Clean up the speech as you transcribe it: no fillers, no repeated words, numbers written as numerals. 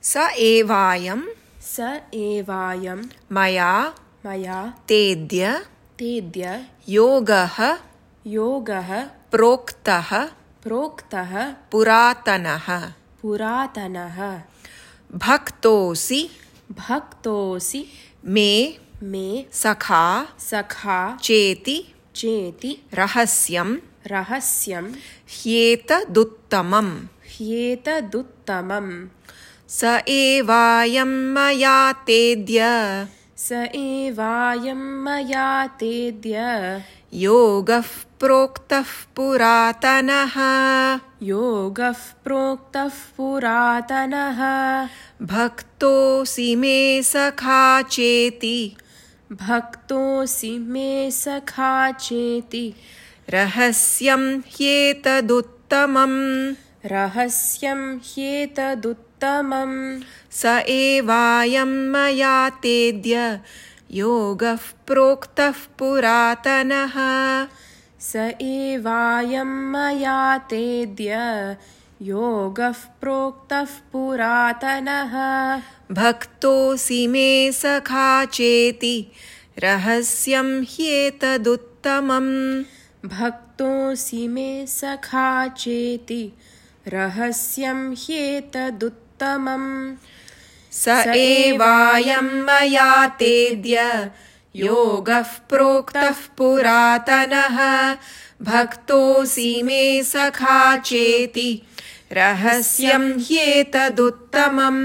स एवायं मया तेद्य योगः प्रोक्तः पुरातनः भक्तोऽसि मे सखा चेति रहस्यं ह्येतदुत्तमम् स एवायं मया तेद्य योगः प्रोक्तः पुरातनः भक्तोऽसि मे सखा चेति रहस्यं ह्येतदुत्तमम् स एवायं मया तेद्य योगः प्रोक्तः पुरातनः भक्तोऽसि मे सखा चेति रहस्यं ह्येतदुत्तमम् स एवायं मया तेद्य योगः प्रोक्तः पुरातनः भक्तोऽसि मे सखा चेति रहस्यं ह्येतदुत्तमम्